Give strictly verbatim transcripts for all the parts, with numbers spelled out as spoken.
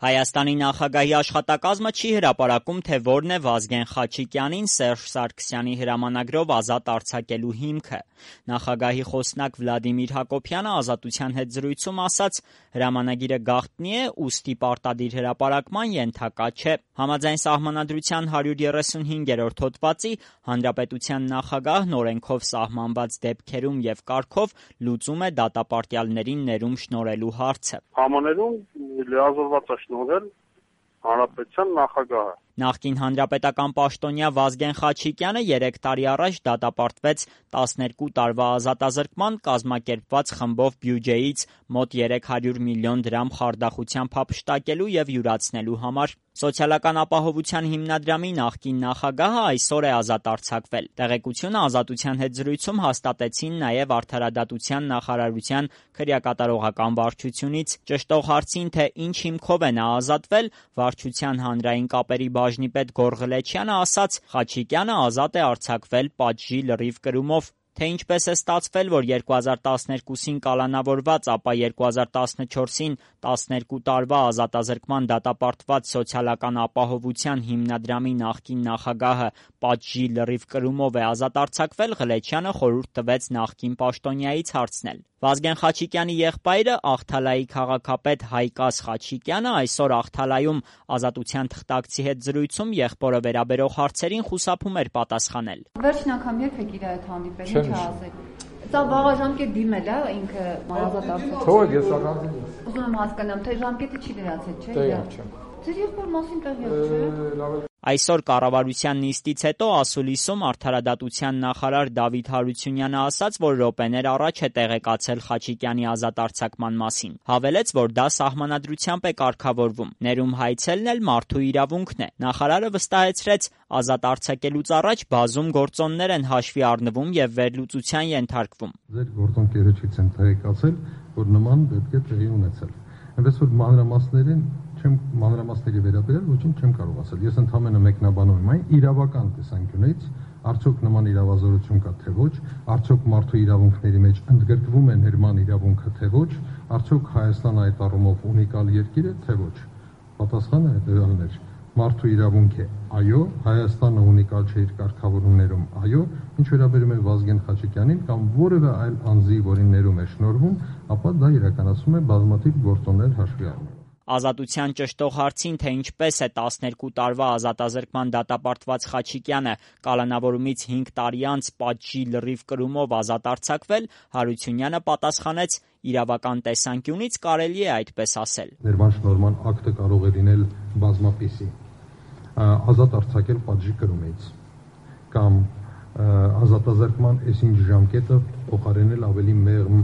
Հայաստանի նախագահի աշխատակազմը չի հրապարակում, թե որն է Վազգեն Խաչիկյանին Սերժ Սարգսյանի հրամանագրով ազատ արձակելու հիմքը։ Նախագահի խոսնակ Վլադիմիր Հակոբյանը Ազատության հետ զրույցում ասաց, հրամանագիրը գաղտնի է, ուստի պարտադիր հրապարակման ենթակա չէ։ Համաձայն Սահմանադրության հարյուր երեսունհինգերորդ հոդվածի Հանրապետության նախագահն օրենքով սահմանված դեպքերում և կարգով լուծում է դատապարտյալներին ներում շնորհելու հարցը։ Համաներում լիազորված է շնորհել Հանրապետության նախագահը։ Նախկին հանրապետական պաշտոնյա Վազգեն Խաչիկյանը երեք տարի առաջ դատապարտվեց տասներկու տարվա ազատազրկման, կազմակերպված խմբով բյուջեից մոտ երեք հարյուր միլիոն դրամ խարդախությամբ հափշտակելու և յուրացնելու համար։ Սոցիալական ապահովության հիմնադրամի նախկին նախագահը այսօր է ազատ արձակվել։ Տեղեկությունը Ազատության հետ զրույցում հաստատեցին նաև Արդարադատության նախարարության քրեակատարողական վարչությունից։ Ճշտող հարցին, թե ինչ հիմքով է նա ազատվել, Վարչության հանրային կապերի բաժնի պետ Գորղլեչյանը ասաց, Խաչիկյանը ազատ է արձակվել պատժի լրիվ կրումով։ Թե ինչպես է ստացվել, որ երկու հազար տասներկուսին կալանավորված, ապա երկու հազար տասնչորսին տասներկու տարվա ազատազրկման դատապարտված Սոցիալական ապահովության հիմնադրամի նախկին նախագահը պատժի լրիվ կրումով է ազատ արձակվել, Ղլեչյանը խորհուրդ տվեց նախկին պաշտոնյայից հարցնել։ Վազգեն Խաչիկյանի եղբայրը Աղթալայի քաղաքապետ Հայկազ Խաչիկյանը այսօր Աղթալայում Ազատության թղթակցի հետ զրույցում եղբորը վերաբերող հարցերին խուսափում էր պատասխանել։ Վերջին անգամ երբ եք իր հետ հանդիպել, ինչ ա ասել։ Սա վաղը ժամկետ դիմել է ինքը ազատ արձակվել։ Թող ես առանձին եմ։ Ուզում եմ հասկանամ, թե ժամկետը չի դրացել, չէ՞։ Տեղյակ չեմ։ Ձեր եղբոր մասին տեղյակ չէ։ Այսօր կառավարության նիստից հետո ասուլիսում Արդարադատության նախարար Դավիթ Հարությունյանը ասաց, որ րոպեներ առաջ է տեղեկացել Խաչիկյանի ազատ արձակման մասին։ Հավելեց, որ դա Սահմանադրությամբ է կարգավորվում։ Ներում հայցելն էլ մարդու իրավունքն է։ Նախարարը վստահեցրեց, ազատ արձակելուց առաջ բազում գործոններ են հաշվի առնվում և վերլուծության ենթարկվում։ Ձեր գործընկերոջից եմ տեղեկացել, որ նման դեպք է տեղի ունեցել։ Այնպես որ մանրամասներին չեմ մանրամասների վերաբերյալ ոչինչ չեմ կարող ասել։ Ես ընդհանրապես մեկնաբանում եմ այն իրավական տեսանկյունից, արդյոք նման իրավազորություն կա թե ոչ, արդյոք մարդու իրավունքների մեջ ընդգրկվում է ներման իրավունքը թե ոչ, արդյոք Հայաստանը այդ առումով ունիկալ երկիր է թե ոչ։ Պատասխանը հետևյալն էր. մարդու իրավունք է, այո, Հայաստանը ունիկալ չէ իր կարգավորումներում, այո, ինչ վերաբերում է Վազգեն Խաչիկյանին կամ որևէ այլ անձի, որին ներում է շնորհվում, ապա դա իրականացում է բազմաթիվ գործոններ հաշվի առնելով։ Ազատության ճշտող հարցին, թե ինչպես է տասներկու տարվա ազատազրկման դատապարտված Խաչիկյանը կալանավորումից հինգ տարի անց պատժի լրիվ կրումով ազատ արձակվել, Հարությունյանը պատասխանեց, իրավական տեսանկյունից կարելի է այդպես ասել։ Ներման շնորհման ակտը կարող է լինել բազմապիսի, ազատ արձակել պատժի կրումից կամ ազատազրկման այսինչ ժամկետը փոխարինել ավելի մեղմ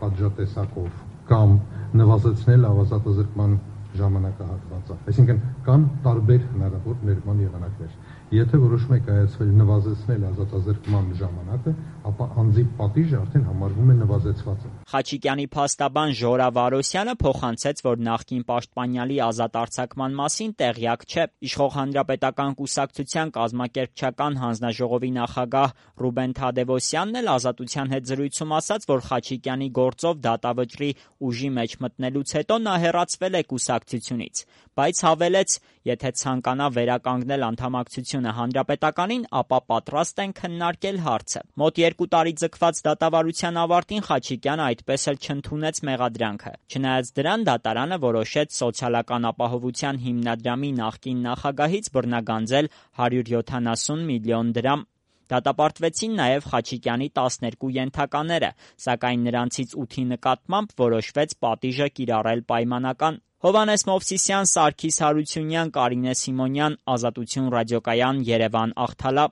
պատժատեսակով կամ նվազեցնել ազատազրկման ժամանակահատվածը։ Այսինքն կան տարբեր հնարավոր ներման եղանակներ։ Եթե որոշում եք կայացվել նվազեցնել ազատազրկման ժամանակը, ապա անձի պատիժը արդեն համարվում է նվազեցված։ Խաչիկյանի փաստաբան Ժորա Վարոսյանը փոխանցեց, որ նախկին պաշտպանյալի ազատ արձակման մասին տեղյակ չէ։ Իշխող հանրապետական կուսակցության կազմակերպչական հանձնաժողովի նախագահ Ռուբեն Թադևոսյանն էլ Ազատության հետ զրույցում ասաց, որ Խաչիկյանի գործով դատավճռի ուժի մեջ մտնելուց հետո նա հեռացվել է կուսակցությունից, բայց հավելեց, եթե ցանկանա վերականգնել անդամակցությունը հանրապետականին, ապա պատրաստ են քննարկել հարցը։ Մոտ երկու տարի ձգված դատավարության ավարտին Խաչիկյանը այդպես էլ չընդունեց մեղադրանքը։ Չնայած դրան, դատարանը որոշեց Սոցիալական ապահովության հիմնադրամի նախկին նախագահից բռնագանձել հարյուր յոթանասուն միլիոն դրամ։ Դատապարտվեցին նաև Խաչիկյանի տասներկու ենթակաները, սակայն նրանցից ութի նկատմամբ որոշվեց պատիժը կիրառել պայմանական։ Հովհաննես Մովսիսյան, Սարգիս Հարությունյան, Կարինե Սիմոնյան, Ազատություն ռադիոկայան, Երևան, Աղթալա։